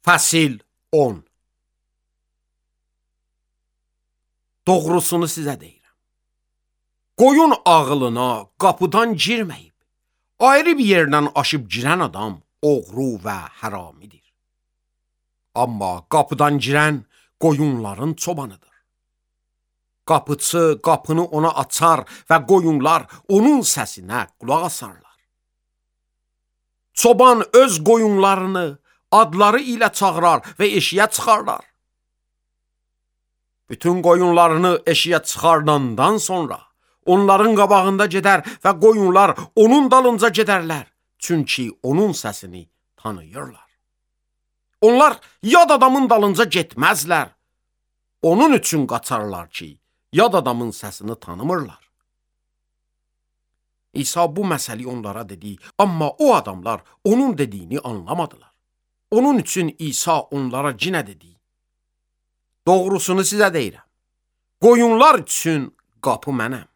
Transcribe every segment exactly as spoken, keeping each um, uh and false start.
Fəsil on. Doğrusunu sizə deyirəm. Qoyun ağılına qapıdan girməyib, ayrı bir yerdən aşıb girən adam oğru və həramidir. Amma qapıdan girən qoyunların çobanıdır. Qapıçı qapını ona açar və qoyunlar onun səsinə qulaq asarlar. Çoban öz qoyunlarını adları ilə çağırar və eşiyə çıxarlar. Bütün qoyunlarını eşiyə çıxardandan sonra onların qabağında gedər və qoyunlar onun dalınca gedərlər, çünki onun səsini tanıyırlar. Onlar yad adamın dalınca getməzlər, onun üçün qaçarlar ki, yad adamın səsini tanımırlar. İsa bu məsəli onlara dedi, amma o adamlar onun dediyini anlamadılar. Onun üçün İsa onlara yenə dedi: Doğrusunu sizə deyirəm, qoyunlar üçün qapı mənəm.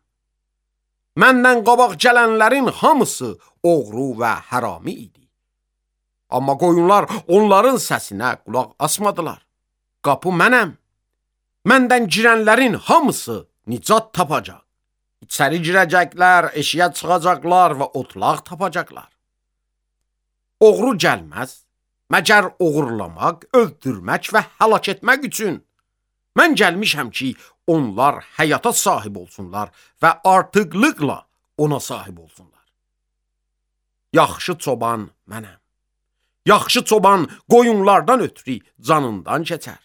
Məndən qabaq gələnlərin hamısı oğru və hərami idi. Amma qoyunlar onların səsinə qulaq asmadılar. Qapı mənəm. Məndən girənlərin hamısı nicat tapacaq. İçəri girəcəklər, eşiyə çıxacaqlar və otlaq tapacaqlar. Oğru gəlməz, məgər oğurlamaq, öldürmək və həlak etmək üçün. Mən gəlmişəm ki, onlar həyata sahib olsunlar və artıqlıqla ona sahib olsunlar. Yaxşı çoban mənəm. Yaxşı çoban qoyunlardan ötürü canından keçər.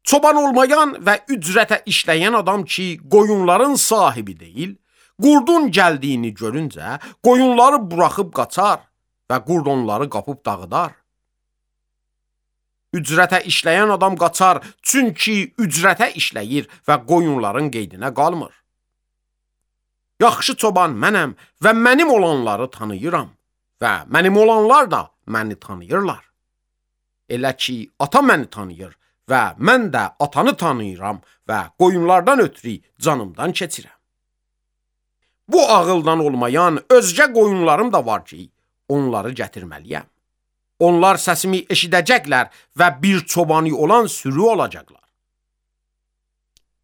Çoban olmayan və ücrətə işləyən adam ki, qoyunların sahibi deyil, qurdun gəldiyini görüncə qoyunları buraxıb qaçar və qurd onları qapıb dağıdar. Ücrətə işləyən adam qaçar, çünki ücrətə işləyir və qoyunların qeydinə qalmır. Yaxşı çoban mənəm və mənim olanları tanıyıram və mənim olanlar da məni tanıyırlar. Elə ki, ata məni tanıyır və mən də atanı tanıyıram və qoyunlardan ötürü canımdan keçirəm. Bu ağıldan olmayan özgə qoyunlarım da var ki, onları gətirməliyəm. Onlar səsimi eşidəcəklər və bir çobanı olan sürü olacaqlar.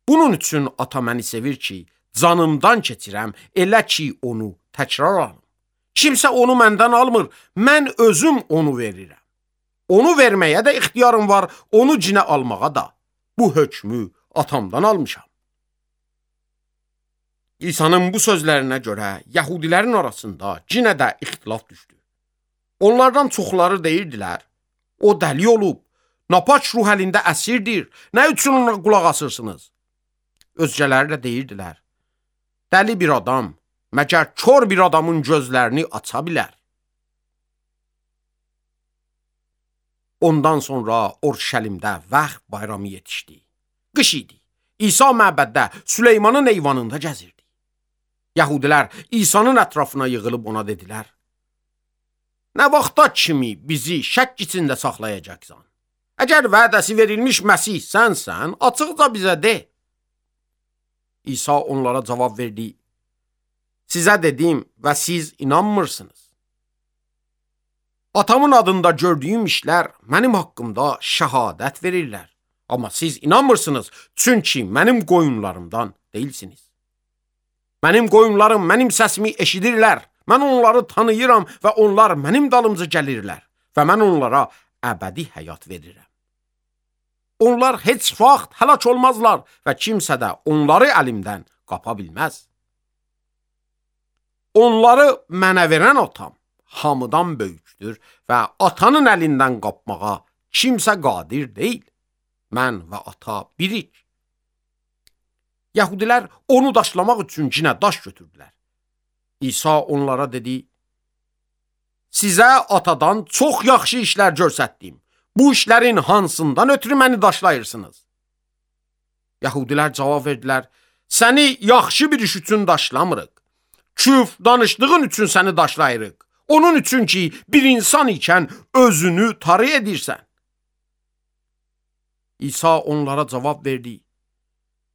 Bunun üçün ata məni sevir ki, canımdan keçirəm, elə ki, onu təkrar alım. Kimsə onu məndən almır, mən özüm onu verirəm. Onu verməyə də ixtiyarım var, onu cinə almağa da. Bu hökmü atamdan almışam. İsa'nın bu sözlərinə görə Yahudilərin arasında cinə də ixtilaf düşdü. Onlardan çoxları deyirdilər, o dəli olub, napaç ruh əlində əsirdir, nə üçün ona qulaq asırsınız? Özgələri də deyirdilər, dəli bir adam, məgər kör bir adamın gözlərini aça bilər. Ondan sonra Orşəlimdə Vəx bayramı yetişdi. Qış idi. İsa məbəddə Süleymanın eyvanında gəzirdi. Yahudilər İsa'nın ətrafına yığılıb ona dedilər: Nə vaxta kimi bizi şək içində saxlayacaqsan? Əgər vədəsi verilmiş Məsih sənsən, açıqca bizə de. İsa onlara cavab verdi: Sizə dedim və siz inanmırsınız. Atamın adında gördüyüm işlər mənim haqqımda şəhadət verirlər. Amma siz inanmırsınız, çünki mənim qoyunlarımdan deyilsiniz. Mənim qoyunlarım mənim səsimi eşidirlər. Mən onları tanıyıram və onlar mənim dalımca gəlirlər və mən onlara əbədi həyat verirəm. Onlar heç vaxt həlak olmazlar və kimsə də onları əlimdən qapa bilməz. Onları mənə verən atam hamıdan böyükdür və atanın əlindən qapmağa kimsə qadir deyil. Mən və ata birik. Yahudilər onu daşlamaq üçün cinə daş götürdülər. İsa onlara dedi: Sizə atadan çox yaxşı işlər göstərdim. Bu işlərin hansından ötürü məni daşlayırsınız? Yahudilər cavab verdilər: Səni yaxşı bir iş üçün daşlamırıq. Küf danışdığın üçün səni daşlayırıq. Onun üçün ki, bir insan ikən özünü tarı edirsən. İsa onlara cavab verdi: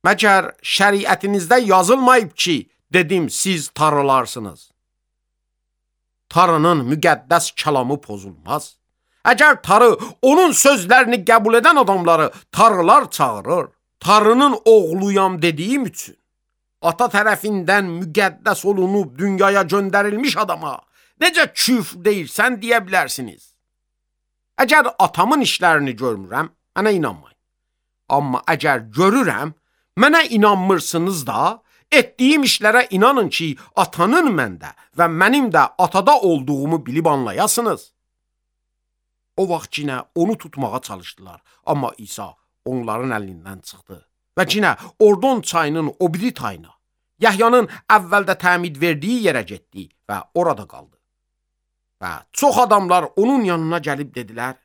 Məgər şəriətinizdə yazılmayıb ki, dedim siz tarılarsınız. Tarının müqəddəs kəlamı pozulmaz. Əgər Tarı onun sözlərini qəbul edən adamları Tarılar çağırır, Tarının oğluyam dediyim üçün, ata tərəfindən müqəddəs olunub dünyaya göndərilmiş adama necə küfr deyirsən deyə bilərsiniz. Əgər atamın işlərini görmürəm, mənə inanmayın. Amma əgər görürəm, mənə inanmırsınız da, etdiyim işlərə inanın ki, atanın məndə və mənim də atada olduğumu bilib anlayasınız. O vaxt yenə onu tutmağa çalışdılar, amma İsa onların əlindən çıxdı və yenə Ordon çayının o biri tayına, Yahyanın əvvəldə təmid verdiyi yerə getdi və orada qaldı. Və çox adamlar onun yanına gəlib dedilər,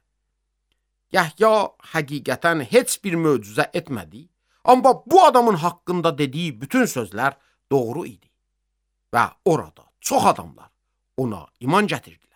Yahya həqiqətən heç bir möcüzə etmədi, amma bu adamın haqqında dediyi bütün sözlər doğru idi. Və orada çox adamlar ona iman gətirdilər.